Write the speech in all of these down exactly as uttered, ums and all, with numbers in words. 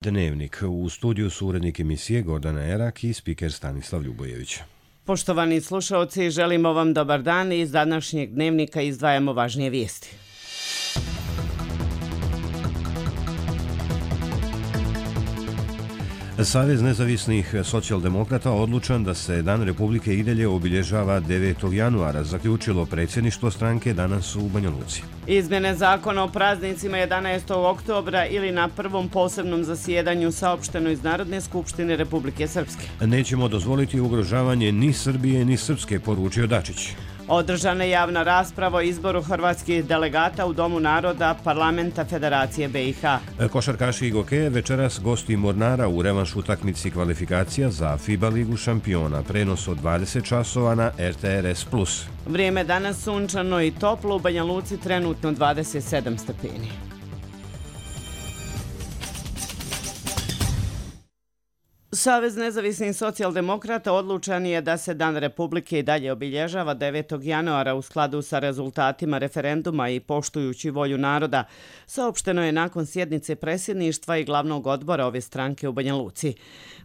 Dnevnik. U studiju su urednik emisije Gordana Erak i spiker Stanislav Ljubojević. Poštovani slušalci, želimo vam dobar dan i iz današnjeg dnevnika izdvajamo važnije vijesti. Savez nezavisnih socijaldemokrata odlučan da se Dan Republike i dalje obilježava devetog januara, zaključilo predsjedništvo stranke danas u Banja Luci. Izmjene zakona o praznicima jedanaestog oktobra ili na prvom posebnom zasjedanju saopšteno iz Narodne skupštine Republike Srpske. Nećemo dozvoliti ugrožavanje ni Srbije ni Srpske, poručio Dačić. Održana je javna rasprava o izboru hrvatskih delegata u Domu naroda Parlamenta Federacije B i H. Košarkaši i gokeje večeras gosti Mornara u revanš utakmici kvalifikacija za FIBA ligu šampiona. Prenos od dvadeset časova na R T R S plus. Vrijeme danas sunčano i toplo, u Banja Luci trenutno dvadeset sedam stepeni. Savez nezavisnih socijaldemokrata odlučan je da se Dan Republike i dalje obilježava devetog januara u skladu sa rezultatima referenduma i poštujući volju naroda, saopšteno je nakon sjednice predsjedništva i glavnog odbora ove stranke u Banja Luci.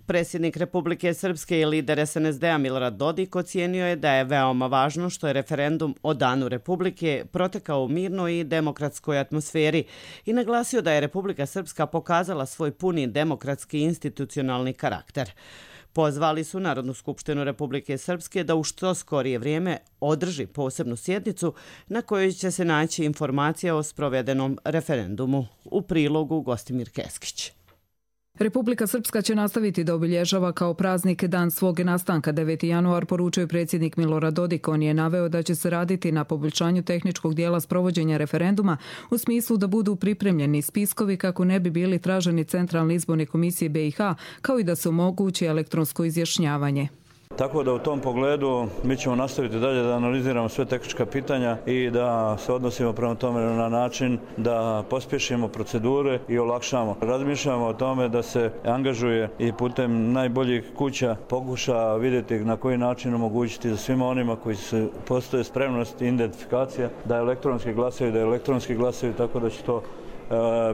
Predsjednik Republike Srpske i lider S N S D-a Milorad Dodik ocijenio je da je veoma važno što je referendum o Danu Republike protekao u mirnoj i demokratskoj atmosferi i naglasio da je Republika Srpska pokazala svoj puni demokratski institucionalni karakter. Pozvali su Narodnu skupštinu Republike Srpske da u što skorije vrijeme održi posebnu sjednicu na kojoj će se naći informacija o sprovedenom referendumu. U prilogu Gostimir Keskić. Republika Srpska će nastaviti da obilježava kao praznik dan svog nastanka deveti januar, poručuje predsjednik Milorad Dodik. On je naveo da će se raditi na poboljšanju tehničkog dijela sprovođenja referenduma u smislu da budu pripremljeni spiskovi kako ne bi bili traženi Centralne izborne komisije B i H, kao i da se omogući elektronsko izjašnjavanje. Tako da u tom pogledu mi ćemo nastaviti dalje da analiziramo sve tehnička pitanja i da se odnosimo prema tome na način da pospješimo procedure i olakšamo. Razmišljamo o tome da se angažuje i putem najboljih kuća pokuša vidjeti na koji način omogućiti za svima onima koji se postoje spremnost i identifikacija da elektronski glasaju, da elektronski glasaju, tako da će to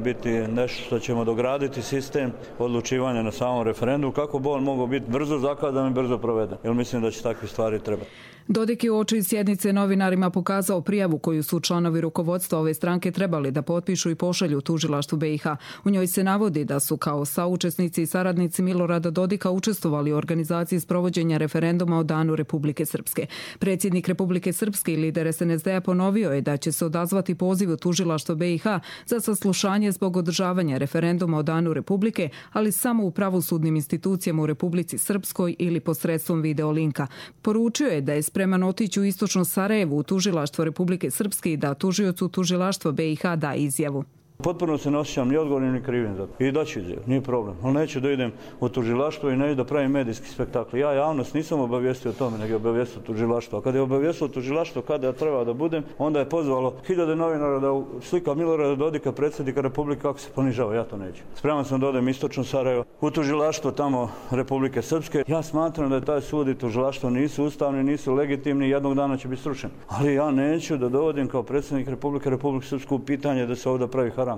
biti nešto što ćemo dograditi sistem odlučivanja na samom referendumu, kako bi on mogao biti brzo zakazan i brzo proveden. Jer mislim da će takve stvari trebati. Dodik je uoči sjednice novinarima pokazao prijavu koju su članovi rukovodstva ove stranke trebali da potpišu i pošalju tužilaštvu B i H. U njoj se navodi da su kao saučesnici i saradnici Milorada Dodika učestvovali u organizaciji sprovođenja referenduma o Danu Republike Srpske. Predsjednik Republike Srpske i lider S N S D-a ponovio je da će se odazvati pozivu tužilaštva B i H za saslušanje zbog održavanja referenduma o Danu Republike, ali samo u pravosudnim institucijama u Republici Srpskoj ili posredstvom videolinka. Poručio je da je spreman otići u istočno Sarajevo u tužilaštvo Republike Srpske i da tužiocu tužilaštva B i H da izjavu. Potpuno se ne osjećam ni odgovornim ni krivim za to. I daću izjavu, nije problem. Ali neću da idem u tužilaštvo i neću da pravim medijski spektakl. Ja javnost nisam obavijestio o tome, nego je obavijestio tužilaštvo. A kada je obavijestio tužilaštvo kada ja treba da budem, onda je pozvalo hiljade novinara da slika Milorada Dodika, predsjednika Republike, kako se ponižava. Ja to neću. Spreman sam da odem istočno Sarajevo u tužilaštvo tamo Republike Srpske. Ja smatram da je taj sud i tužilaštvo nisu ustavni, nisu legitimni, jednog dana će biti srušen. Ali ja neću da dovodim kao predsjednik Republike Republike Srpsku pitanje da se ovdje pravi haram.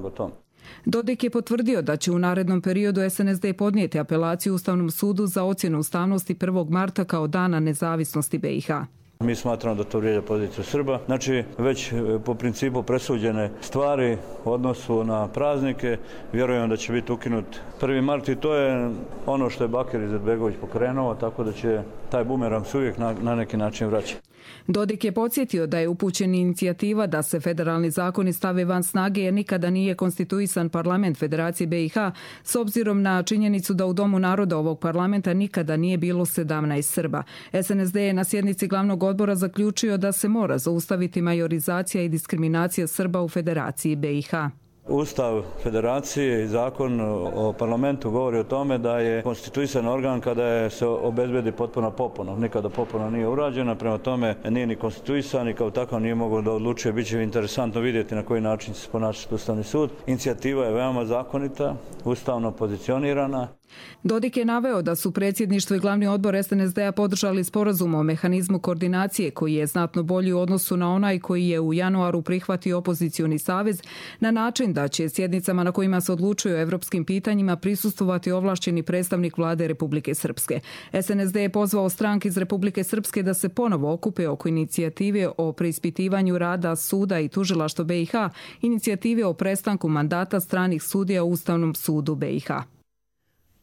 Dodik je potvrdio da će u narednom periodu S N S D podnijeti apelaciju Ustavnom sudu za ocjenu ustavnosti prvog marta kao dana nezavisnosti B i H. Mi smatramo da to vrijeđa poziciju Srba. Znači, već po principu presuđene stvari u odnosu na praznike, vjerujem da će biti ukinut prvi mart i to je ono što je Bakir Izetbegović pokrenuo, tako da će taj bumerang se uvijek na, na neki način vraćati. Dodik je podsjetio da je upućena inicijativa da se federalni zakoni stave van snage jer nikada nije konstituisan parlament Federacije B i H s obzirom na činjenicu da u Domu naroda ovog parlamenta nikada nije bilo sedamnaest Srba. S N S D je na sjednici glavnog odbora zaključio da se mora zaustaviti majorizacija i diskriminacija Srba u Federaciji B i H. Ustav Federacije i zakon o parlamentu govori o tome da je konstituisan organ kada je se obezbedi potpuna popuna. Nikada popuna nije urađena, prema tome nije ni konstituisan i kao takav nije mogao da odlučuje. Biće interesantno vidjeti na koji način će se ponašati Ustavni sud. Inicijativa je veoma zakonita, ustavno pozicionirana. Dodik je naveo da su predsjedništvo i glavni odbor S N S D-a podržali sporazum o mehanizmu koordinacije koji je znatno bolji u odnosu na onaj koji je u januaru prihvatio opozicioni savez na način da će sjednicama na kojima se odlučuje o evropskim pitanjima prisustvovati ovlašćeni predstavnik vlade Republike Srpske. S N S D je pozvao stranke iz Republike Srpske da se ponovo okupe oko inicijative o preispitivanju rada suda i tužilaštva B i H, inicijative o prestanku mandata stranih sudija u Ustavnom sudu B i H.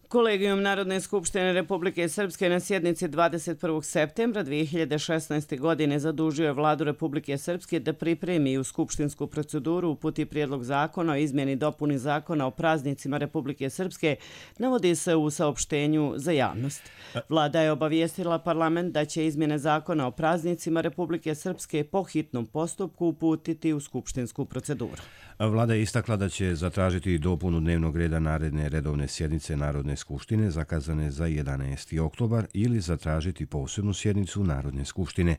Kolegijum Narodne skupštine Republike Srpske na sjednici dvadeset prvog septembra dvije hiljade šesnaeste. godine zadužio je vladu Republike Srpske da pripremi u skupštinsku proceduru uputi prijedlog zakona o izmjeni i dopuni zakona o praznicima Republike Srpske, navodi se u saopštenju za javnost. Vlada je obavijestila parlament da će izmjene zakona o praznicima Republike Srpske po hitnom postupku uputiti u skupštinsku proceduru. Vlada je istakla da će zatražiti dopunu dnevnog reda naredne redovne sjednice Narodne skupštine zakazane za jedanaesti oktobar ili zatražiti posebnu sjednicu Narodne skupštine.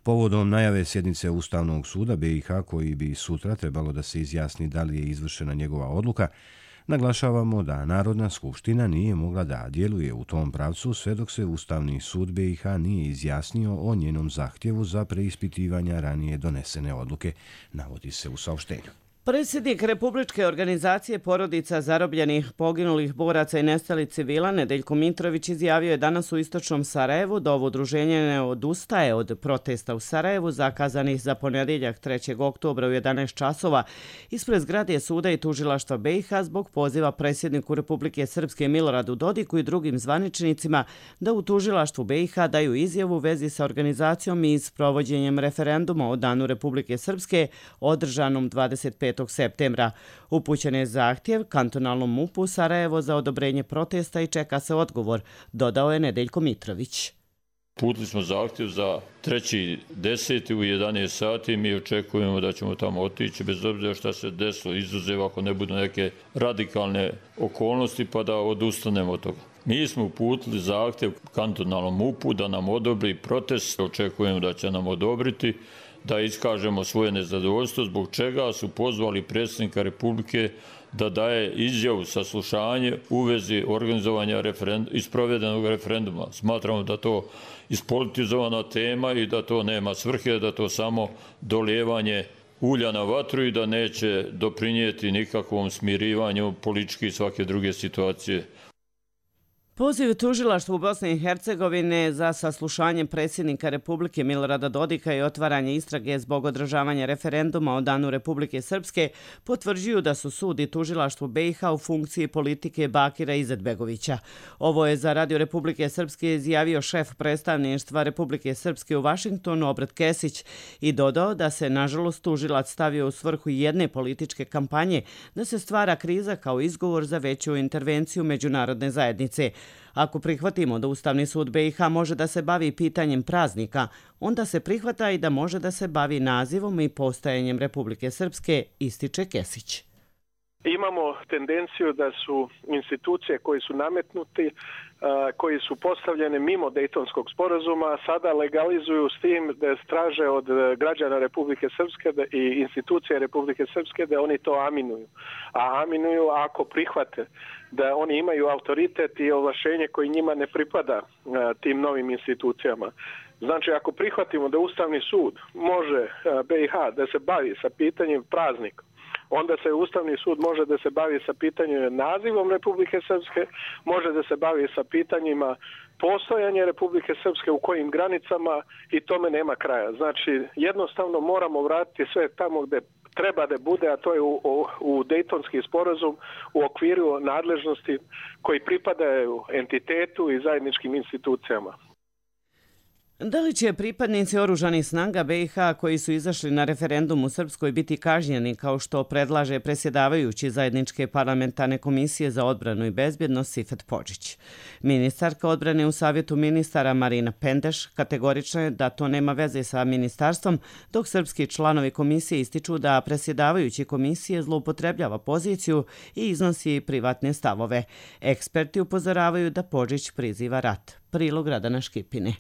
Povodom najave sjednice Ustavnog suda B i H koji bi sutra trebalo da se izjasni da li je izvršena njegova odluka, naglašavamo da Narodna skupština nije mogla da djeluje u tom pravcu sve dok se Ustavni sud B i H nije izjasnio o njenom zahtjevu za preispitivanja ranije donesene odluke, navodi se u saopštenju. Predsjednik Republičke organizacije porodica zarobljenih, poginulih boraca i nestalih civila Nedeljko Mitrović izjavio je danas u istočnom Sarajevu da ovo udruženje ne odustaje od protesta u Sarajevu zakazanih za ponedjeljak trećeg oktobra u jedanaest časova ispred zgrade suda i tužilaštva B i H zbog poziva predsjedniku Republike Srpske Miloradu Dodiku i drugim zvaničnicima da u tužilaštvu B i H daju izjavu u vezi sa organizacijom i sprovođenjem referenduma o Danu Republike Srpske održanom dvadeset petog septembra. Upućen je zahtjev kantonalnom MUP-u Sarajevo za odobrenje protesta i čeka se odgovor, dodao je Nedeljko Mitrović. Putili smo zahtjev za treći deseti u jedanaest sati. Mi očekujemo da ćemo tamo otići bez obzira šta se desilo, izuzev ako ne budu neke radikalne okolnosti pa da odustanemo od toga. Mi smo uputili zahtjev kantonalnom MUP-u da nam odobri protest. Očekujemo da će nam odobriti, da iskažemo svoje nezadovoljstvo, zbog čega su pozvali predsjednika Republike da daje izjavu saslušanje u vezi organizovanja isprovedenog referenduma. Smatramo da to ispolitizovana tema i da to nema svrhe, da to samo dolijevanje ulja na vatru i da neće doprinijeti nikakvom smirivanju političke i svake druge situacije. Poziv tužilaštvu u Bosni i Hercegovine za saslušanje predsjednika Republike Milorada Dodika i otvaranje istrage zbog održavanja referenduma o Danu Republike Srpske potvrđuju da su sud i tužilaštvo B i H u funkciji politike Bakira Izetbegovića. Ovo je za Radio Republike Srpske izjavio šef predstavništva Republike Srpske u Vašingtonu Obrat Kesić i dodao da se nažalost tužilac stavio u svrhu jedne političke kampanje da se stvara kriza kao izgovor za veću intervenciju međunarodne zajednice. Ako prihvatimo da Ustavni sud B i H može da se bavi pitanjem praznika, onda se prihvata i da može da se bavi nazivom i postajanjem Republike Srpske, ističe Kesić. Imamo tendenciju da su institucije koji su nametnuti, koji su postavljene mimo Dejtonskog sporazuma, sada legalizuju s tim da traže od građana Republike Srpske i institucije Republike Srpske da oni to aminuju. A aminuju ako prihvate da oni imaju autoritet i ovlašenje koji njima ne pripada tim novim institucijama. Znači, ako prihvatimo da Ustavni sud može B i H da se bavi sa pitanjem praznika, onda se Ustavni sud može da se bavi sa pitanjem nazivom Republike Srpske, može da se bavi sa pitanjima postojanja Republike Srpske u kojim granicama i tome nema kraja. Znači, jednostavno moramo vratiti sve tamo gde treba da bude, a to je u, u, u Dejtonski sporazum u okviru nadležnosti koji pripadaju entitetu i zajedničkim institucijama. Da li će pripadnici oružanih snaga B i H koji su izašli na referendum u Srpskoj biti kažnjeni kao što predlaže predsjedavajući zajedničke parlamentarne komisije za odbranu i bezbjednost Sifet Podžić? Ministarka odbrane u Savjetu ministara Marina Pendeš kategorična je da to nema veze sa ministarstvom, dok srpski članovi komisije ističu da predsjedavajući komisije zloupotrebljava poziciju i iznosi privatne stavove. Eksperti upozoravaju da Podžić priziva rat. Prilog Radana Škipine.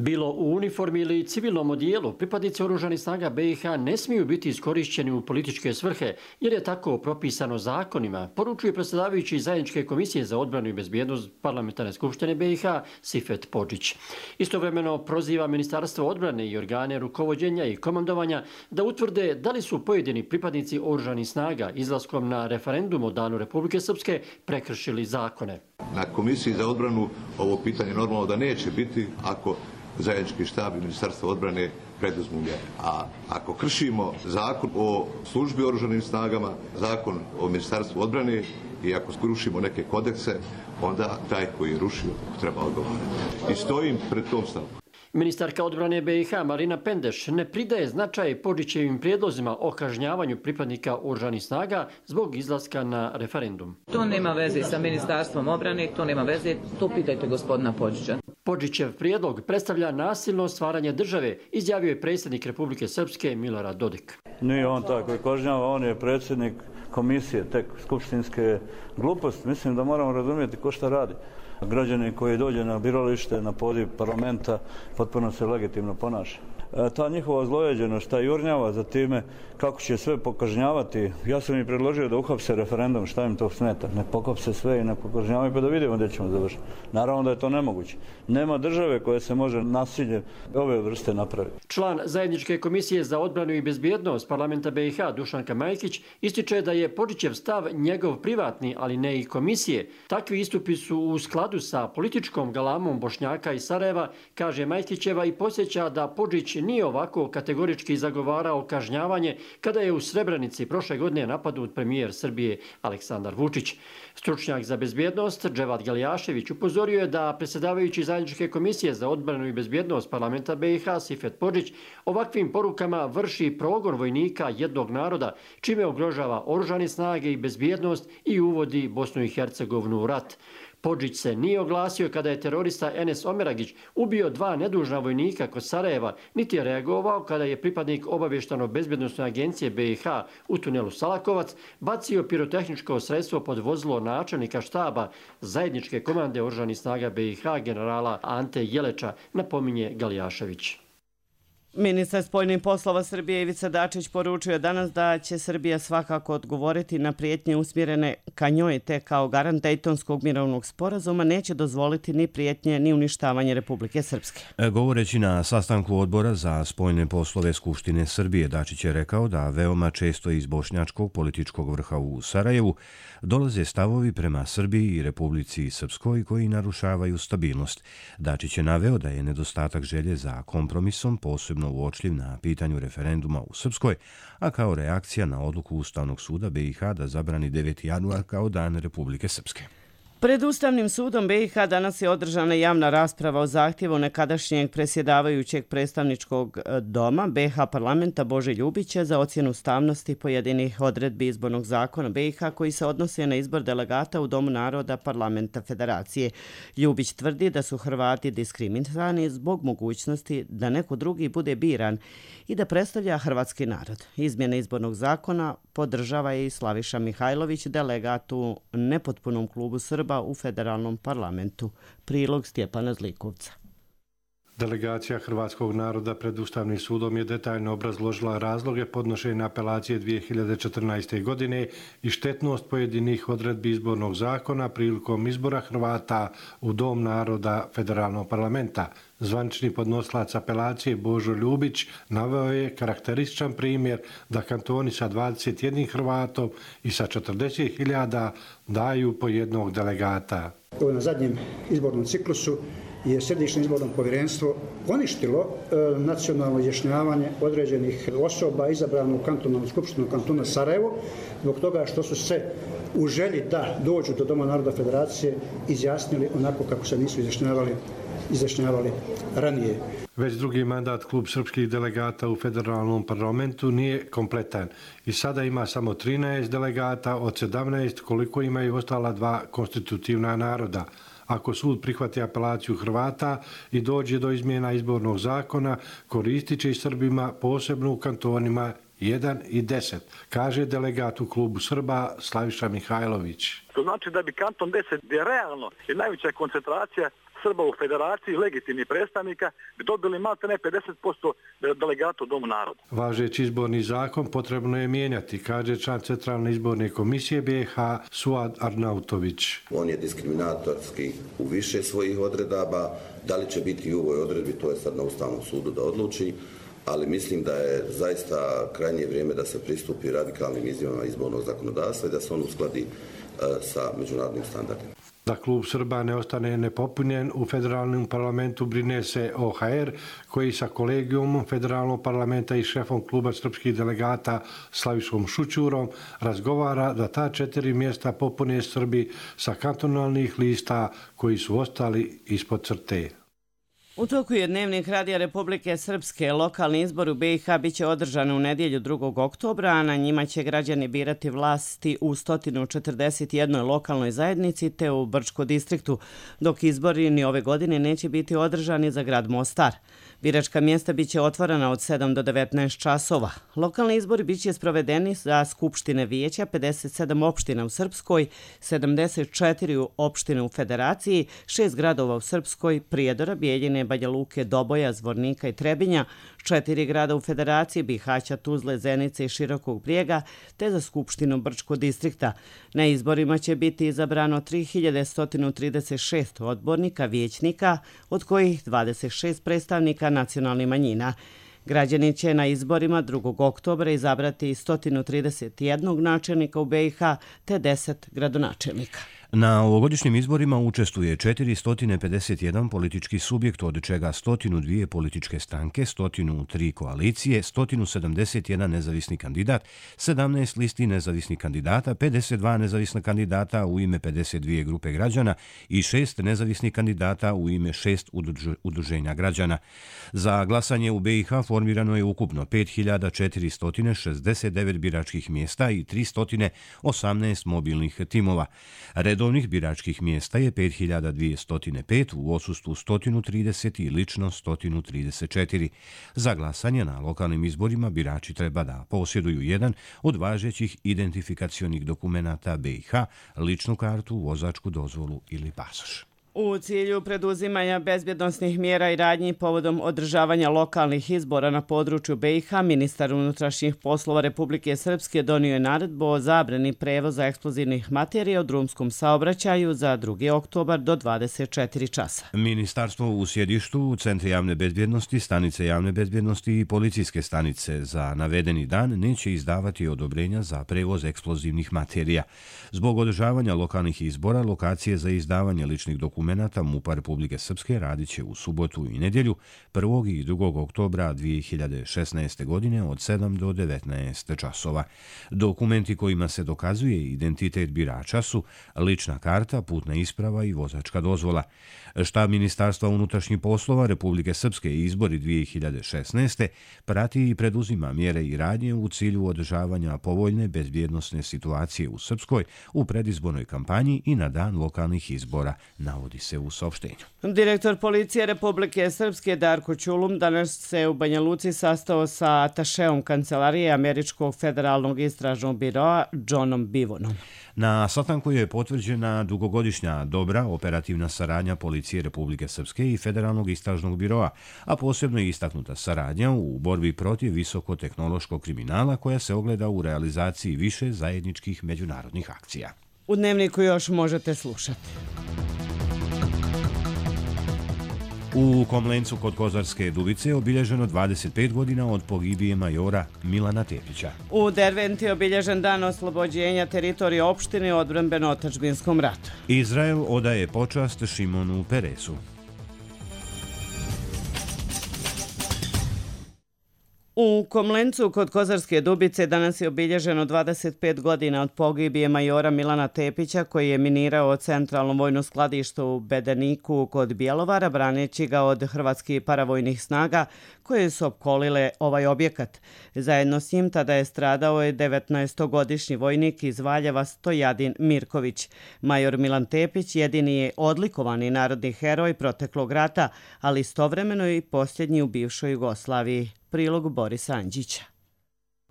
Bilo u uniformi ili civilnom odijelu, pripadnici oružanih snaga B i H ne smiju biti iskorišćeni u političke svrhe, jer je tako propisano zakonima, poručuje predsjedavajući Zajedničke komisije za odbranu i bezbjednost Parlamentarne skupštine B i H Sifet Podžić. Istovremeno proziva Ministarstvo odbrane i organe rukovođenja i komandovanja da utvrde da li su pojedini pripadnici oružanih snaga izlaskom na referendum o Danu Republike Srpske prekršili zakone. Na Komisiji za odbranu ovo pitanje normalno da neće biti ako Zajednički štab i Ministarstvo odbrane preduzmu mjere. A ako kršimo zakon o službi oružanim snagama, zakon o Ministarstvu odbrane i ako skrušimo neke kodekse, onda taj koji je rušio treba odgovarati. I stojim pred tom stavkom. Ministarka odbrane B i H Marina Pendeš ne pridaje značaj Podžićevim prijedlozima o kažnjavanju pripadnika oružanih snaga zbog izlaska na referendum. To nema veze sa Ministarstvom odbrane, to nema veze, to pitajte gospodina Podžića. Podžićev prijedlog predstavlja nasilno stvaranje države, izjavio je predsjednik Republike Srpske Milorad Dodik. Nije on taj koji kažnjava, on je predsjednik komisije, tek skupštinske gluposti. Mislim da moramo razumjeti ko šta radi. Građani koji dođe na biralište, na poziv parlamenta, potpuno se legitimno ponaša. E, ta njihova zlojeđenost, ta jurnjava za time kako će sve pokažnjavati. Ja sam im predložio da uhapse referendum, šta im to smeta. Ne pokopse sve i ne pokažnjavaju pa da vidimo gdje ćemo završiti. Naravno da je to nemoguće. Nema države koje se može nasilje ove vrste napraviti. Član Zajedničke komisije za odbranu i bezbjednost Parlamenta B i H Dušanka Majkić ističe da je Podžićev stav njegov privatni, ali ne i komisije. Takvi istupi su u skladu sa političkom galamom Bošnjaka iz Sarajeva, kaže Majkićeva i podsjeća da Podžić nije ovako kategorički zagovarao kažnjavanje kada je u Srebrenici prošle godine napadnut premijer Srbije Aleksandar Vučić. Stručnjak za bezbjednost Dževad Galjašević upozorio je da predsjedavajući Zajedničke komisije za odbranu i bezbjednost Parlamenta B i H Sifet Podžić ovakvim porukama vrši progon vojnika jednog naroda, čime ugrožava oružane snage i bezbjednost i uvodi Bosnu i Hercegovinu u rat. Podžić se nije oglasio kada je terorista Enes Omeragić ubio dva nedužna vojnika kod Sarajeva, niti je reagovao kada je pripadnik obavještano-bezbjednosne agencije B i H u tunelu Salakovac bacio pirotehničko sredstvo pod vozilo načelnika štaba Zajedničke komande oružanih snaga B i H generala Ante Jeleča, napominje Galjašević. Ministar spoljnih poslova Srbije Ivica Dačić poručio danas da će Srbija svakako odgovoriti na prijetnje usmjerene ka njoj, te kao garant Dejtonskog mirovnog sporazuma neće dozvoliti ni prijetnje ni uništavanje Republike Srpske. Govoreći na sastanku odbora za spoljne poslove Skupštine Srbije, Dačić je rekao da veoma često iz bošnjačkog političkog vrha u Sarajevu dolaze stavovi prema Srbiji i Republici Srpskoj koji narušavaju stabilnost. Dačić je naveo da je nedostatak želje za kompromisom posebno uočljiv na pitanju referenduma u Srpskoj, a kao reakcija na odluku Ustavnog suda B i H da zabrani deveti januar kao Dan Republike Srpske. Pred Ustavnim sudom B i H danas je održana javna rasprava o zahtjevu nekadašnjeg predsjedavajućeg predstavničkog doma B H parlamenta Bože Ljubića za ocjenu ustavnosti pojedinih odredbi izbornog zakona B i H koji se odnose na izbor delegata u Domu naroda parlamenta federacije. Ljubić tvrdi da su Hrvati diskriminirani zbog mogućnosti da neko drugi bude biran i da predstavlja hrvatski narod. Izmjene izbornog zakona podržava i Slaviša Mihajlović, delegat u nepotpunom klubu Srba u federalnom parlamentu. Prilog Stjepana Zlikovca. Delegacija hrvatskog naroda pred Ustavnim sudom je detaljno obrazložila razloge podnošenja apelacije dvije hiljade četrnaeste. godine i štetnost pojedinih odredbi izbornog zakona prilikom izbora Hrvata u Dom naroda federalnog parlamenta. Zvanični podnosilac apelacije Božo Ljubić naveo je karakterističan primjer da kantoni sa dvadeset jednim Hrvatom i sa četrdeset hiljada daju po jednog delegata. Na zadnjem izbornom ciklusu je Središnje izborno povjerenstvo poništilo e, nacionalno izjašnjavanje određenih osoba izabrano u kantonalnu skupštinu kantona Sarajevo zbog toga što su se u želji da dođu do Doma naroda federacije izjasnili onako kako se nisu izjašnjavali, izjašnjavali ranije. Već drugi mandat klub srpskih delegata u federalnom parlamentu nije kompletan i sada ima samo trinaest delegata od sedamnaest koliko imaju ostala dva konstitutivna naroda. Ako sud prihvati apelaciju Hrvata i dođe do izmjena izbornog zakona, koristit će i Srbima posebno u kantonima jedan i deset, kaže delegat u klubu Srba Slaviša Mihajlović. To znači da bi kanton deset, gdje realno je najveća koncentracija Srba u federaciji, legitimnih predstavnika, bi dobili maltene pedeset posto delegata u Domu naroda. Važeći izborni zakon potrebno je mijenjati, kaže član Centralne izborne komisije B i H Suad Arnautović. On je diskriminatorski u više svojih odredaba. Da li će biti i u ovoj odredbi, to je sad na Ustavnom sudu da odluči, ali mislim da je zaista krajnje vrijeme da se pristupi radikalnim izmjenama izbornog zakonodavstva i da se on uskladi sa međunarodnim standardima. Da klub Srba ne ostane nepopunjen, u federalnom parlamentu brine se O H R, koji sa kolegijumom federalnog parlamenta i šefom kluba srpskih delegata Slavišom Šućurom razgovara da ta četiri mjesta popune Srbi sa kantonalnih lista koji su ostali ispod crte. U toku je Dnevnik Radija Republike Srpske. Lokalni izbor u B i H biće održan u nedjelju drugog oktobra, a na njima će građani birati vlasti u sto četrdeset jednoj lokalnoj zajednici te u Brčko distriktu, dok izbori ni ove godine neće biti održani za grad Mostar. Biračka mjesta biće otvorena od sedam do devetnaest časova. Lokalni izbori biće sprovedeni za skupštine vijeća pedeset sedam opština u Srpskoj, sedamdeset četiri opštine u Federaciji, šest gradova u Srpskoj, Prijedora, Bijeljine, Banja Luke, Doboja, Zvornika i Trebinja, četiri grada u Federaciji, Bihaća, Tuzle, Zenice i Širokog Brijega, te za skupštinu Brčko distrikta. Na izborima će biti izabrano tri hiljade sto trideset šest odbornika, vijećnika, od kojih dvadeset šest predstavnika nacionalnih manjina. Građani će na izborima drugog oktobra izabrati sto trideset jedan načelnika u B i H te deset gradonačelnika. Na ovogodišnjim izborima učestvuje četiristo pedeset jedan politički subjekt, od čega sto dva političke stranke, sto tri koalicije, sto sedamdeset jedan nezavisni kandidat, sedamnaest listi nezavisnih kandidata, pedeset dva nezavisna kandidata u ime pedeset dvije grupe građana i šest nezavisnih kandidata u ime šest udruženja građana. Za glasanje u B i H formirano je ukupno pet hiljada četiristo šezdeset devet biračkih mjesta i tristo osamnaest mobilnih timova. Redovnih biračkih mjesta je pet hiljada dvjesto pet, u odsustvu sto trideset i lično sto trideset četiri. Za glasanje na lokalnim izborima birači treba da posjeduju jedan od važećih identifikacionih dokumenata B i H, ličnu kartu, vozačku dozvolu ili pasoš. U cilju preduzimanja bezbjednosnih mjera i radnji povodom održavanja lokalnih izbora na području B i H, ministar unutrašnjih poslova Republike Srpske donio je naredbu o zabrani prevoza eksplozivnih materija u drumskom saobraćaju za drugi oktobar do dvadeset četiri časa. Ministarstvo u sjedištu, centri javne bezbjednosti, stanice javne bezbjednosti i policijske stanice za navedeni dan neće izdavati odobrenja za prevoz eksplozivnih materija. Zbog održavanja lokalnih izbora, lokacije za izdavanje ličnih dokumenta MUP-a Republike Srpske radit će u subotu i nedjelju prvog i drugog oktobra dvije hiljade šesnaeste. godine od sedam do devetnaest časova. Dokumenti kojima se dokazuje identitet birača su lična karta, putna isprava i vozačka dozvola. Štab Ministarstva unutrašnjih poslova Republike Srpske i izbori dvije hiljade šesnaeste. prati i preduzima mjere i radnje u cilju održavanja povoljne bezbjednosne situacije u Srpskoj u predizbornoj kampanji i na dan lokalnih izbora, navodi se u saopštenju. Direktor policije Republike Srpske Darko Ćulum danas se u Banja Luci sastao sa atašeom kancelarije Američkog federalnog istražnog biroa Johnom Bivonom. Na sastanku je potvrđena dugogodišnja dobra operativna saradnja policije Republike Srpske i Federalnog istražnog biroa, a posebno je istaknuta saradnja u borbi protiv visokotehnološkog kriminala koja se ogleda u realizaciji više zajedničkih međunarodnih akcija. U Dnevniku još možete slušati. U Komlencu kod Kozarske Dubice obilježeno dvadeset pet godina od pogibije majora Milana Tepića. U Derventi je obilježen dan oslobođenja teritorije opštine u odbrambeno-otadžbinskom ratu. Izrael odaje počast Šimonu Peresu. U Komlencu kod Kozarske Dubice danas je obilježeno dvadeset pet godina od pogibije majora Milana Tepića, koji je minirao centralno vojno skladište u Bedeniku kod Bjelovara, braneći ga od hrvatskih paravojnih snaga koje su opkolile ovaj objekat. Zajedno s njim tada je stradao je devetnaestogodišnji vojnik iz Valjeva Stojadin Mirković. Major Milan Tepić jedini je odlikovani narodni heroj proteklog rata, ali istovremeno i posljednji u bivšoj Jugoslaviji. Prilog Borisa Anđića.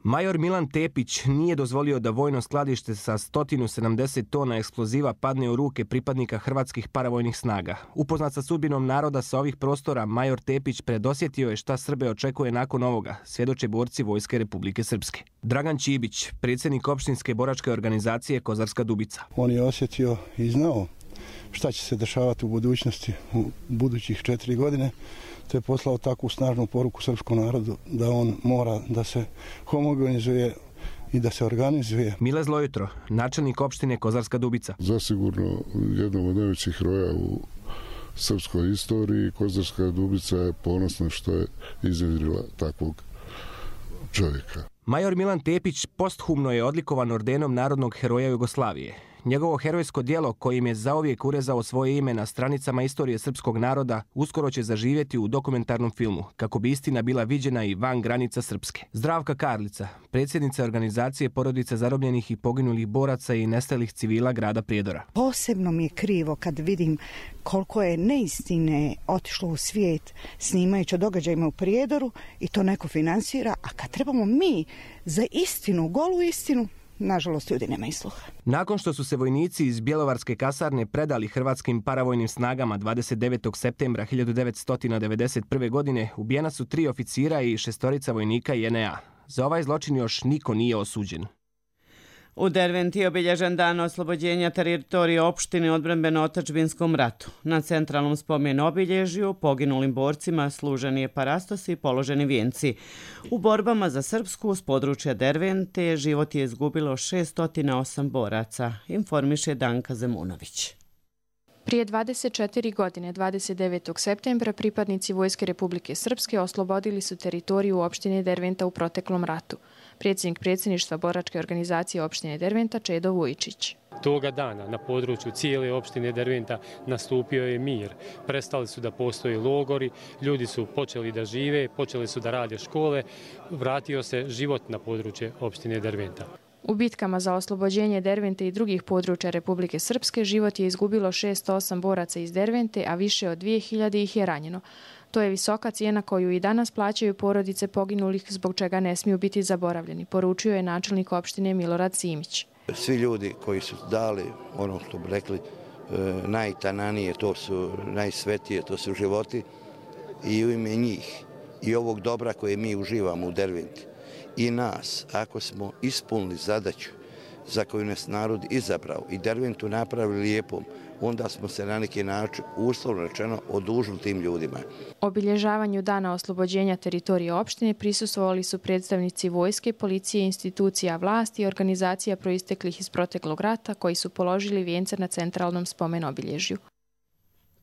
Major Milan Tepić nije dozvolio da vojno skladište sa sto sedamdeset tona eksploziva padne u ruke pripadnika hrvatskih paravojnih snaga. Upoznat sa sudbinom naroda sa ovih prostora, major Tepić predosjetio je šta Srbe očekuje nakon ovoga, svjedoče borci Vojske Republike Srpske. Dragan Čibić, predsjednik opštinske boračke organizacije Kozarska Dubica. On je osjetio i znao šta će se dešavati u budućnosti u budućih četiri godine. To je poslao takvu snažnu poruku srpskom narodu da on mora da se homogenizuje i da se organizuje. Mile Zlojutro, načelnik opštine Kozarska Dubica. Zasigurno jednom od najvećih heroja u srpskoj istoriji. Kozarska Dubica je ponosna što je iznjedrila takvog čovjeka. Major Milan Tepić posthumno je odlikovan ordenom Narodnog heroja Jugoslavije. Njegovo herojsko djelo, kojim je zauvijek urezao svoje ime na stranicama istorije srpskog naroda, uskoro će zaživjeti u dokumentarnom filmu, kako bi istina bila viđena i van granica Srpske. Zdravka Karlica, predsjednica organizacije porodica zarobljenih i poginulih boraca i nestalih civila grada Prijedora. Posebno mi je krivo kad vidim koliko je neistine otišlo u svijet snimajući o događajima u Prijedoru i to neko finansira, a kad trebamo mi za istinu, golu istinu, nažalost, ljudi nemaju sluha. Nakon što su se vojnici iz Bjelovarske kasarne predali hrvatskim paravojnim snagama dvadeset devetog septembra hiljadu devetsto devedeset prve. godine, ubijena su tri oficira i šestorica vojnika J N A. Za ovaj zločin još niko nije osuđen. U Derventi je obilježen dan oslobođenja teritorije opštine odbrambeno-otadžbinskom ratu. Na centralnom spomenu obilježju poginulim borcima služeni je parastos i položeni vijenci. U borbama za Srpsku s područja Dervente život je izgubilo šesto osam boraca, informiše Danka Zemunović. Prije dvadeset četiri godine, dvadeset devetog septembra, pripadnici Vojske Republike Srpske oslobodili su teritoriju opštine Derventa u proteklom ratu. Predsjednik predsjedništva boračke organizacije opštine Derventa Čedo Vujičić. Toga dana na području cijele opštine Derventa nastupio je mir. Prestali su da postoje logori, ljudi su počeli da žive, počeli su da rade škole, vratio se život na područje opštine Derventa. U bitkama za oslobođenje Dervente i drugih područja Republike Srpske život je izgubilo šesto osam boraca iz Dervente, a više od dvije hiljade ih je ranjeno. To je visoka cijena koju i danas plaćaju porodice poginulih, zbog čega ne smiju biti zaboravljeni, poručio je načelnik opštine Milorad Simić. Svi ljudi koji su dali, ono što bi rekli, najtananije, to su najsvetije, to su životi, i u ime njih i ovog dobra koje mi uživamo u Derventi i nas, ako smo ispunili zadaću za koju nas narod izabrao i Derventu napravili lijepom, onda smo se na neki način, uslovno rečeno, odužili tim ljudima. Obilježavanju dana oslobođenja teritorije opštine prisustvovali su predstavnici vojske, policije, institucija vlasti i organizacija proisteklih iz proteklog rata koji su položili vijence na centralnom spomen obilježju.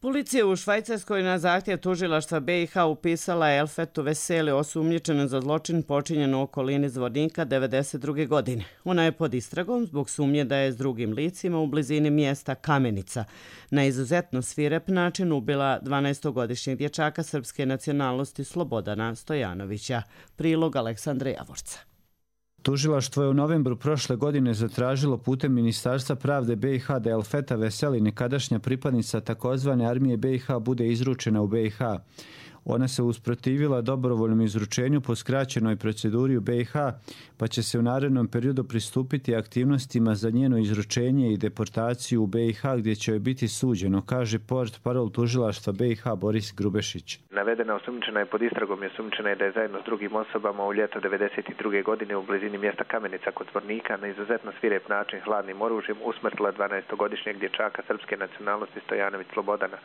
Policija u Švajcarskoj na zahtjev tužilaštva B i H upisala Elfetu Veseli osumnjičenu za zločin počinjen u okolini Zvornika devedeset druge. godine. Ona je pod istragom zbog sumnje da je s drugim licima u blizini mjesta Kamenica na izuzetno svirep način ubila dvanaestogodišnjeg dječaka srpske nacionalnosti Slobodana Stojanovića. Prilog Aleksandra Javorca. Tužilaštvo je u novembru prošle godine zatražilo putem Ministarstva pravde B i H da Elfeta Veseli, nekadašnja pripadnica takozvane armije B i H, bude izručena u B i H. Ona se usprotivila dobrovoljnom izručenju po skraćenoj proceduri u B i H, pa će se u narednom periodu pristupiti aktivnostima za njeno izručenje i deportaciju u B i H, gdje će joj biti suđeno, kaže port parol tužilaštva B i H Boris Grubešić. Navedena osumnjičena je pod istragom i osumnjičena je da je zajedno s drugim osobama u ljeto devedeset druge. godine u blizini mjesta Kamenica kod Zvornika na izuzetno svirep način hladnim oružjem usmrtila dvanaestogodišnjeg dječaka srpske nacionalnosti Stojanović Slobodana.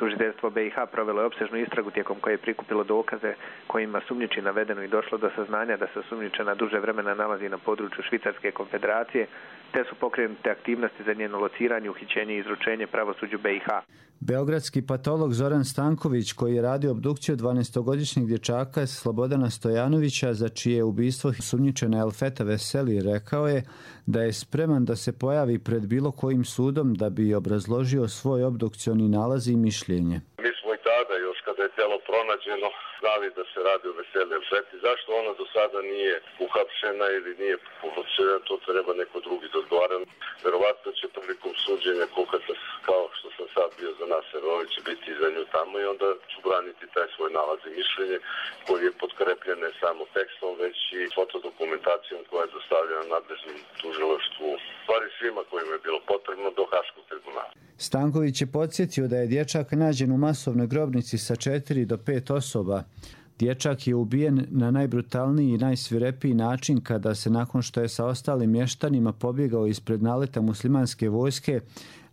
Tužiteljstvo B i H provelo je opsežnu istragu tijekom koje je prikupilo dokaze kojima sumnjiči navedeno i došlo do saznanja da se osumnjičena duže vremena nalazi na području Švicarske konfederacije, te su pokrenute aktivnosti za njeno lociranje, uhićenje i izručenje pravosuđu B i H. Beogradski patolog Zoran Stanković, koji je radio obdukciju dvanaestogodišnjeg dječaka Slobodana Stojanovića, za čije ubistvo sumnjičena Elfeta Veseli, rekao je da je spreman da se pojavi pred bilo kojim sudom da bi obrazložio svoj obdukcioni nalaz i mišljenje. Mi smo i tada, još kada je telo pronađeno, znali da se radi o Veseli Elfeti. Zašto ona do sada nije uhapšena ili nije uhapšena, to treba neko drugi da odgovara. Verovatno će prilikom suđenja kukati kao što sam sad bio za Nas Serović će biti za nju tamo i onda ću braniti taj svoj nalaz i mišljenje koji je potkrepljen ne samo tekstom, već i fotodokumentacijom koja je dostavljena nadležnom tužilaštvu, stvari svima kojima je bilo potrebno do Haškog tribunala. Stanković je podsjetio da je dječak nađen u masovnoj grobnici sa četiri do pet osoba. Dječak je ubijen na najbrutalniji i najsvirepiji način kada se nakon što je sa ostalim mještanima pobjegao ispred naleta muslimanske vojske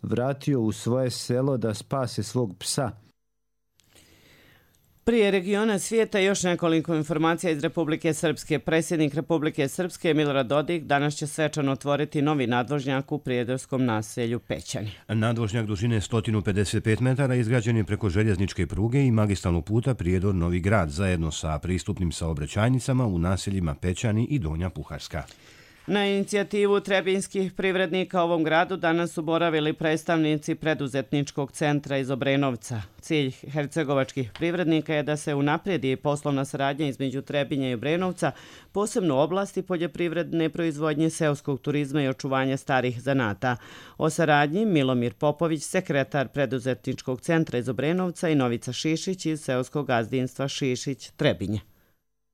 vratio u svoje selo da spase svog psa. Prije regiona svijeta još nekoliko informacija iz Republike Srpske. Predsjednik Republike Srpske Milorad Dodik danas će svečano otvoriti novi nadvožnjak u prijedorskom naselju Pećani. Nadvožnjak dužine sto pedeset pet metara izgrađen je preko željezničke pruge i magistralnog puta Prijedor-Novi Grad zajedno sa pristupnim saobraćajnicama u naseljima Pećani i Donja Puharska. Na inicijativu trebinskih privrednika ovom gradu danas su boravili predstavnici preduzetničkog centra iz Obrenovca. Cilj hercegovačkih privrednika je da se unaprijedi poslovna saradnja između Trebinja i Obrenovca, posebno u oblasti poljoprivredne proizvodnje, seoskog turizma i očuvanja starih zanata. O saradnji Milomir Popović, sekretar preduzetničkog centra iz Obrenovca, i Novica Šišić iz seoskog gazdinstva Šišić Trebinje.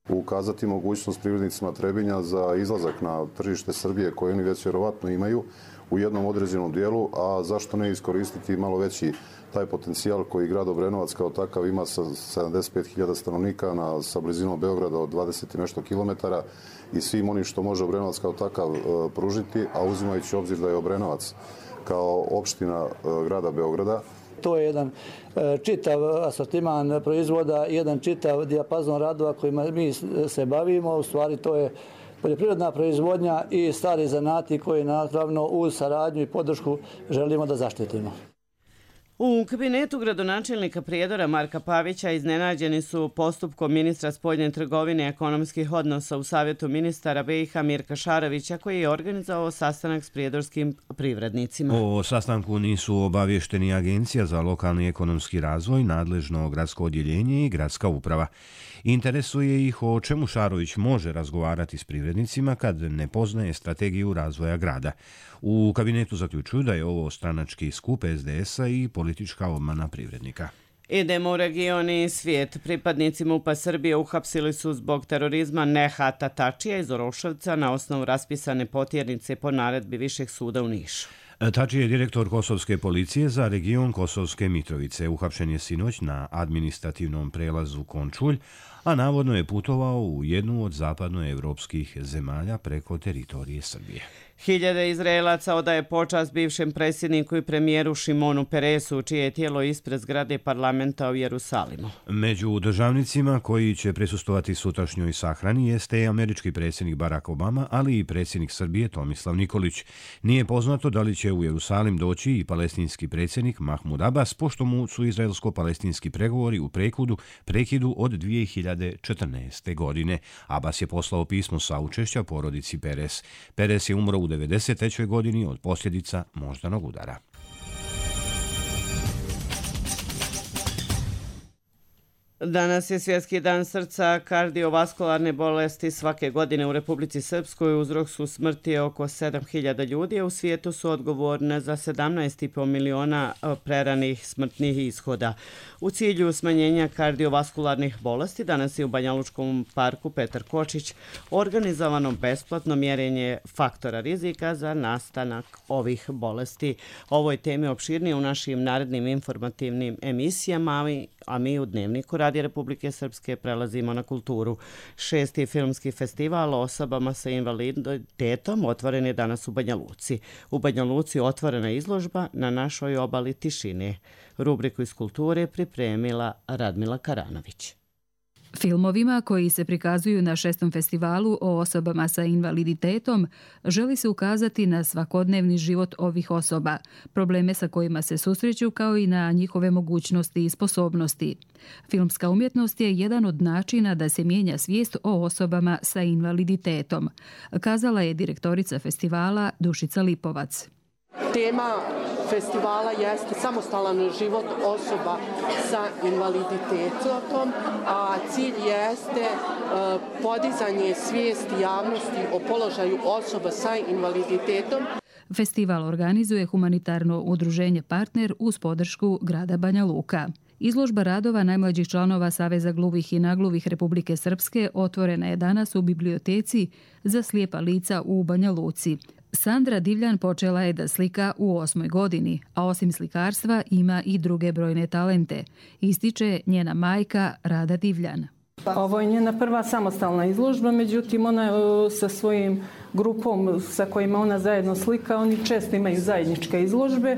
Ukazati mogućnost privrednicima Trebinja za izlazak na tržište Srbije koje oni već vjerovatno imaju u jednom određenom dijelu, a zašto ne iskoristiti malo veći taj potencijal koji grad Obrenovac kao takav ima sa sedamdeset pet hiljada stanovnika na, sa blizinom Beograda od dvadeset i nešto kilometara i svim onim što može Obrenovac kao takav e, pružiti, a uzimajući obzir da je Obrenovac kao opština e, grada Beograda. To je jedan čitav asortiman proizvoda, jedan čitav dijapazon radova kojima mi se bavimo. U stvari to je poljoprivredna proizvodnja i stari zanati koji naravno uz saradnju i podršku želimo da zaštitimo. U kabinetu gradonačelnika Prijedora Marka Pavića iznenađeni su postupkom ministra spoljne trgovine i ekonomskih odnosa u Savjetu ministara B i H Mirka Šarovića, koji je organizovao sastanak s prijedorskim privrednicima. O sastanku nisu obavješteni Agencija za lokalni ekonomski razvoj, nadležno gradsko odjeljenje i gradska uprava. Interesuje ih o čemu Šarović može razgovarati s privrednicima kad ne poznaje strategiju razvoja grada. U kabinetu zaključuju da je ovo stranački skup S D S-a i politička obmana privrednika. Idemo u region i svijet. Pripadnici MUP-a Srbije uhapsili su zbog terorizma Nehata Tačija iz Oroševca na osnovu raspisane potjernice po naredbi Višeg suda u Nišu. Tači je direktor Kosovske policije za region Kosovske Mitrovice. Uhapšen je sinoć na administrativnom prelazu Končulj, a navodno je putovao u jednu od zapadnoevropskih zemalja preko teritorije Srbije. Hiljade Izraelaca odaje počast bivšem predsjedniku i premijeru Šimonu Peresu, čije je tijelo ispred zgrade parlamenta u Jerusalimu. Među državnicima koji će prisustovati sutrašnjoj sahrani jeste i američki predsjednik Barack Obama, ali i predsjednik Srbije Tomislav Nikolić. Nije poznato da li će u Jerusalim doći i palestinski predsjednik Mahmud Abbas, pošto mu su izraelsko-palestinski pregovori u prekudu prekidu od dvije hiljade četrnaeste. godine. Abbas je poslao pismo saučešća porodici Peres. Peres je umro u devedeset trećoj. godini od posljedica moždanog udara. Danas je Svjetski dan srca. Kardiovaskularne bolesti svake godine u Republici Srpskoj uzrok su smrti oko sedam hiljada ljudi, a u svijetu su odgovorne za sedamnaest i po miliona preranih smrtnih ishoda. U cilju smanjenja kardiovaskularnih bolesti danas je u Banjalučkom parku Petar Kočić organizovano besplatno mjerenje faktora rizika za nastanak ovih bolesti. Ovoj temi opširnije u našim narednim informativnim emisijama, a mi u Dnevniku Radija Republike Srpske prelazimo na kulturu. Šesti filmski festival o osobama sa invaliditetom otvoren je danas u Banja Luci. U Banja Luci otvorena izložba Na našoj obali tišine. Rubriku iz kulture pripremila Radmila Karanović. Filmovima koji se prikazuju na šestom festivalu o osobama sa invaliditetom želi se ukazati na svakodnevni život ovih osoba, probleme sa kojima se susreću kao i na njihove mogućnosti i sposobnosti. Filmska umjetnost je jedan od načina da se mijenja svijest o osobama sa invaliditetom, kazala je direktorica festivala Dušica Lipovac. Tema festivala jeste samostalan život osoba sa invaliditetom, a cilj jeste podizanje svijesti javnosti o položaju osoba sa invaliditetom. Festival organizuje humanitarno udruženje Partner uz podršku grada Banja Luka. Izložba radova najmlađih članova Saveza gluvih i nagluvih Republike Srpske otvorena je danas u biblioteci za slijepa lica u Banja Luci. Sandra Divljan počela je da slika u osmoj godini, a osim slikarstva ima i druge brojne talente, ističe njena majka Rada Divljan. Ovo je njena prva samostalna izložba, međutim ona sa svojim grupom sa kojima ona zajedno slika, oni često imaju zajedničke izložbe.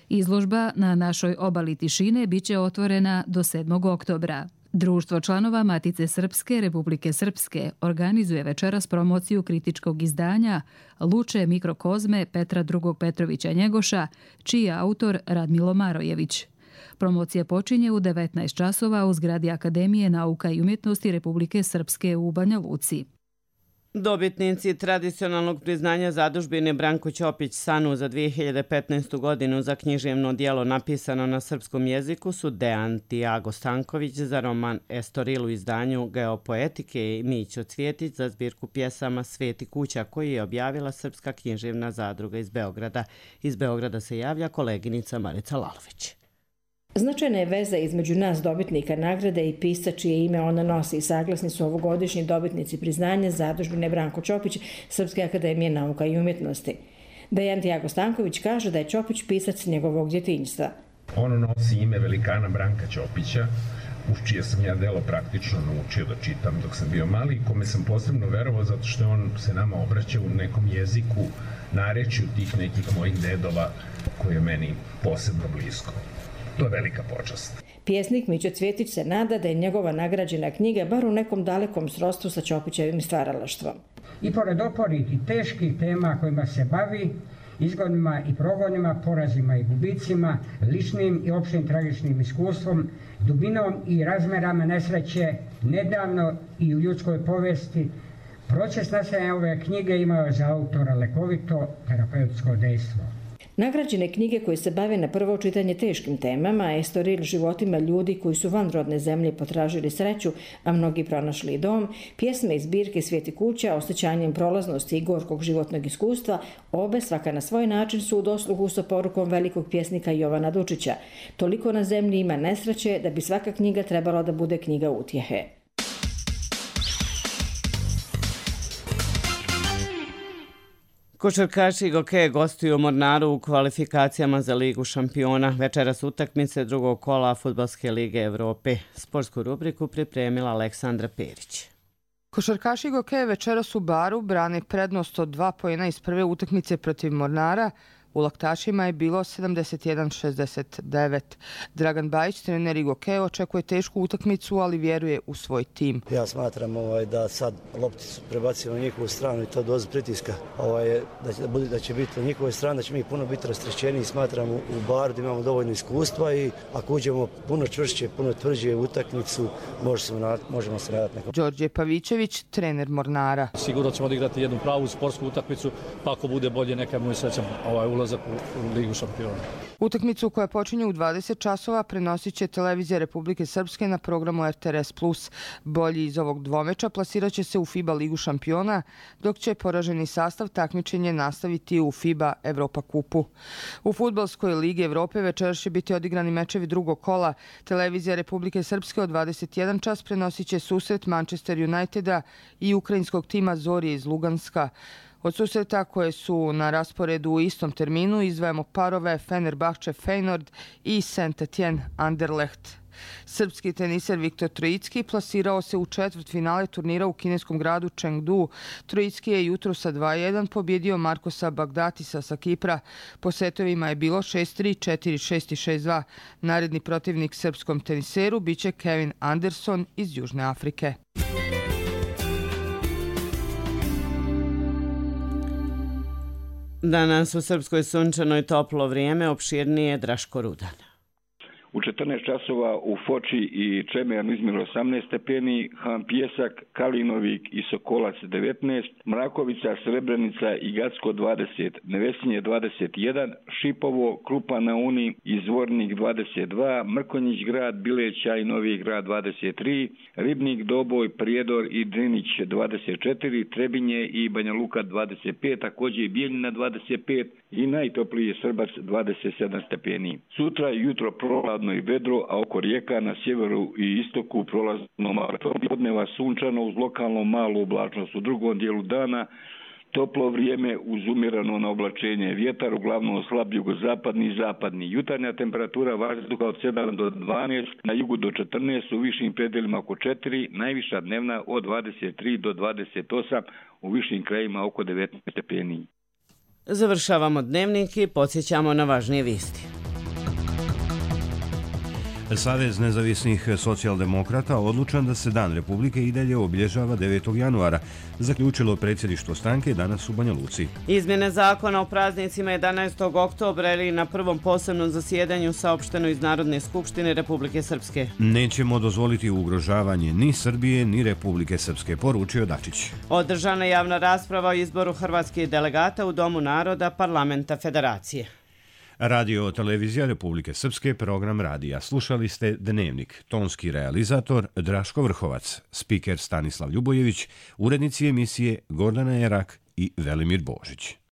Izložba na našoj obali tišine biće otvorena do sedmog oktobra. Društvo članova Matice Srpske Republike Srpske organizuje večeras promociju kritičkog izdanja Luče mikrokozme Petra drugog Petrovića Njegoša, čiji je autor Radmilo Marojević. Promocija počinje u devetnaest časova u zgradi Akademije nauka i umjetnosti Republike Srpske u Banja Luci. Dobitnici tradicionalnog priznanja zadužbine Branko Ćopić Sanu za dvije hiljade petnaestu. godinu za književno djelo napisano na srpskom jeziku su Dejan Tiago Stanković za roman Estoril u izdanju Geopoetike i Mićo Cvjetić za zbirku pjesama Sveti kuća koji je objavila Srpska književna zadruga iz Beograda. Iz Beograda se javlja koleginica Marica Lalović. Značajna je veza između nas dobitnika nagrade i pisca čije ime ona nosi. Saglasni su ovogodišnji dobitnici priznanja zadužbine Branko Ćopić Srpske akademije nauka i umjetnosti. Dejan Tiago Stanković kaže da je Ćopić pisac njegovog djetinjstva. Ono nosi ime velikana Branka Ćopića, uz čije sam ja delo praktično naučio da čitam dok sam bio mali, kome sam posebno verovao zato što on se nama obraća u nekom jeziku, narečju tih nekih mojih dedova koje je meni posebno blisko. To je velika počast. Pjesnik Mićo Cvjetić se nada da je njegova nagrađena knjiga bar u nekom dalekom srodstvu sa Ćopićevim stvaralaštvom. I pored oporih i teških tema kojima se bavi, izgonima i progonima, porazima i gubicima, ličnim i opštim tragičnim iskustvom, dubinom i razmerama nesreće, nedavno i u ljudskoj povesti, proces nastajanja ove knjige imao za autora lekovito terapeutsko dejstvo. Nagrađene knjige koje se bave na prvo čitanje teškim temama, Estoril životima ljudi koji su van rodne zemlje potražili sreću, a mnogi pronašli dom, pjesme iz zbirke Sveti kuća, osjećanjem prolaznosti i gorkog životnog iskustva, obe svaka na svoj način su u dosluhu sa porukom velikog pjesnika Jovana Dučića. Toliko na zemlji ima nesreće da bi svaka knjiga trebala da bude knjiga utjehe. Košarkaši Gokeje gostuju u Mornaru u kvalifikacijama za Ligu šampiona. Večeras utakmice drugog kola Fudbalske lige Evrope. Sportsku rubriku pripremila Aleksandra Perić. Košarkaši Gokeje večeras u Baru brane prednost od dva poena iz prve utakmice protiv Mornara. U Laktašima je bilo sedamdeset jedan šezdeset devet. Dragan Bajić, trener Gokeje, očekuje tešku utakmicu, ali vjeruje u svoj tim. Ja smatram ovaj, da sad lopti su prebacimo na njihovu stranu i to dozu pritiska ovaj, da, će, da će biti na njihovoj strani, da će mi puno biti rasterećeni i smatram u, u Baru da imamo dovoljno iskustva i ako uđemo puno čvršće, puno tvrđe u utakmicu, možemo, možemo se nadati nekom. Đorđe Pavićević, trener Mornara. Sigurno ćemo odigrati jednu pravu sportsku utakmicu, pa ako bude bolje neka mu srećam ovaj ulaz u Ligu šampiona. Utakmicu koja počinje u dvadeset časova prenosit će televizija Republike Srpske na programu R T R S plus. Bolji iz ovog dvomeča plasirat će se u FIBA Ligu šampiona, dok će poraženi sastav takmičenje nastaviti u FIBA Evropa kupu. U Fudbalskoj ligi Evrope večeras će biti odigrani mečevi drugog kola. Televizija Republike Srpske od dvadeset jedan čas prenosit će susret Manchester Uniteda i ukrajinskog tima Zorije iz Luganska. Od susreta koje su na rasporedu u istom terminu izdvajamo parove Fenerbahče Feyenoord i Saint-Étienne Anderlecht. Srpski teniser Viktor Trojicki plasirao se u četvrt finale turnira u kineskom gradu Chengdu. Trojicki je jutro sa dva jedan pobjedio Markosa Bagdatisa sa Kipra. Po setovima je bilo šest tri, četiri šest i šest dva. Naredni protivnik srpskom teniseru biće Kevin Anderson iz Južne Afrike. Danas u Srpskoj sunčano i toplo vrijeme, opširnije Draško Rudan. u četrnaest časova u Foči i Čemernu izmjerilo osamnaest stepeni, Han Pijesak, Kalinovik i Sokolac devetnaest, Mrakovica, Srebrenica i Gacko dvadeset, Nevesinje dvadeset jedan, Šipovo, Krupa na Uni i Zvornik dvadeset dva, Mrkonjić grad, Bileća i Novi grad dvadeset tri, Ribnik, Doboj, Prijedor i Drinić dvadeset četiri, Trebinje i Banja Luka dvadeset pet, također i Bijeljina dvadeset pet i najtopliji je Srbac dvadeset sedam stepeni. Sutra je jutro prohladno i vedro, a oko rijeka na sjeveru i istoku prolazno malo. Podneva sunčano uz lokalno malu oblačnost. U drugom dijelu dana toplo vrijeme uz umjereno na oblačenje. Vjetar uglavnom slab jugozapadni i zapadni. Jutarnja temperatura vazduha od sedam do dvanaest, na jugu do četrnaest, u višim predjelima oko četiri, najviša dnevna od dvadeset tri do dvadeset osam, u višim krajima oko devetnaest stepeni. Završavamo dnevnik i podsjećamo na važnije vijesti. Savez nezavisnih socijaldemokrata odlučan da se Dan Republike i dalje obilježava devetog januara, zaključilo predsjedništvo stranke danas u Banja Luci. Izmjene zakona o praznicima jedanaestog oktobra ili na prvom posebnom zasjedanju saopšteno iz Narodne skupštine Republike Srpske. Nećemo dozvoliti ugrožavanje ni Srbije ni Republike Srpske, poručio Dačić. Održana javna rasprava o izboru hrvatskih delegata u Domu naroda Parlamenta Federacije. Radio televizija Republike Srpske, program radija. Slušali ste Dnevnik, tonski realizator Draško Vrhovac, spiker Stanislav Ljubojević, urednici emisije Gordana Jerak i Velimir Božić.